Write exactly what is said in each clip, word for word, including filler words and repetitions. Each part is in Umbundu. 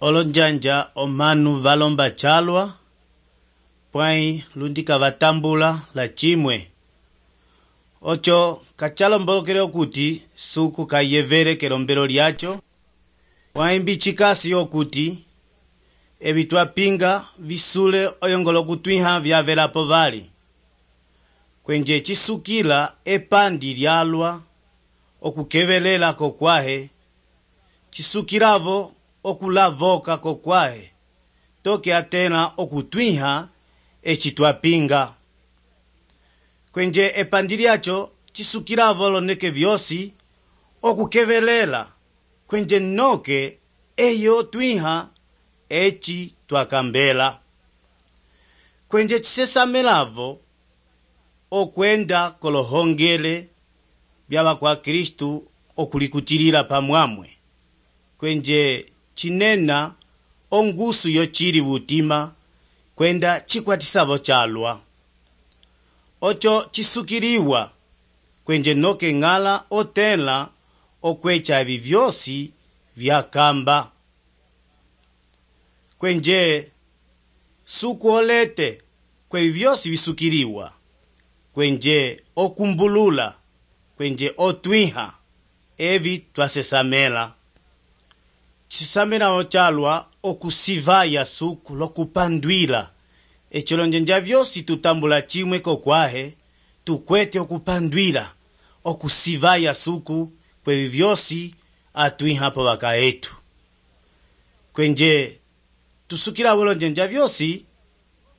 olonjanja omanu valomba chalwa pwai lundika vatambula la chimwe ocho kachalombolokele okuti suku kayevere kelombelo lyacho pwai mbichikasi okuti evi twapinga visule oyongolo kutwiha vyavelapo vali kwenje chisukila epandi lyalwa okukevelela kokwahe chisukilavo okulavoka kokwahe toke atena okutwiha eci twapinga kwenje epandi lyacho chisukilavo loneke vyosi okukevelela kwenje noke eyo twiha eci twakambela kwenje chisesamelavo okwenda kolohongele byaba kwa Kristu okulikutilila pamwamwe kwenje chinena ongusu yo chili butima kwenda chikwatisavo chalwa ocho chisukiliwa kwenje noke ngala otela okwecha evi vyosi vyakamba kwenje suku olete kwevi vyosi visukiliwa kwenje okumbulula kwenje otwiha evi twasesamela chisamela ochalwa okusivaya suku lokupandwila echolonjenja vyosi tutambula chimwe kokwahe tukwete okupandwila okusivaya suku kwevi vyosi atwiha po baka etu kwenje tusukila bolonjenja vyosi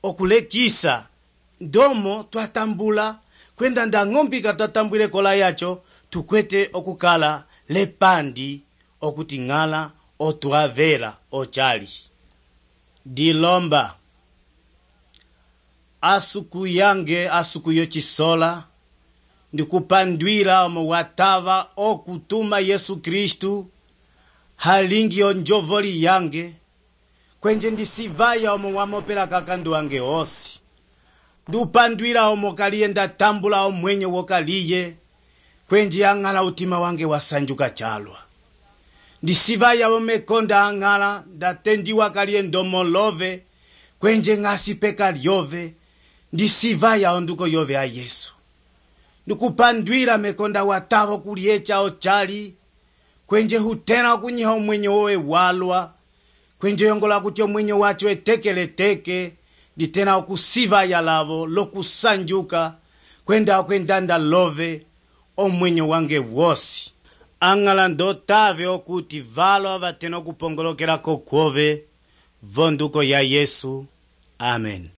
okulekisa ndomo twatambula kwenda nda ng'ombika twatambwile kola yacho tukwete okukala lepandi okuti ngala otwavela ochali dilomba asuku yange asuku yo chisola ndikupandwila omo watava okutuma Yesu Kristu halingi onjovoli yange kwenje ndisivaya omo wamopela kakandu wange osi ndupandwila omo kaliye ndatambula omwenye wokaliye kwenje angala utima wange wasanjuka chalwa ndisivaya omekonda angala ndatendiwa kaliye ndomolove kwenje ngasi peka lyove ndisivaya onduko yove a Yesu ndikupandwila mekonda watavo kuliecha ochali kwenje hutena kunyiha omwenye wowe walwa kwenje yongola kuti omwenye wacho etekele teke ditena okusivaya lavo lokusanjuka kwenda kwendanda love omwenye wange wosi angala ndotave okuti valo avatena okupongolokela kokwove vonduko ya Yesu. Amen.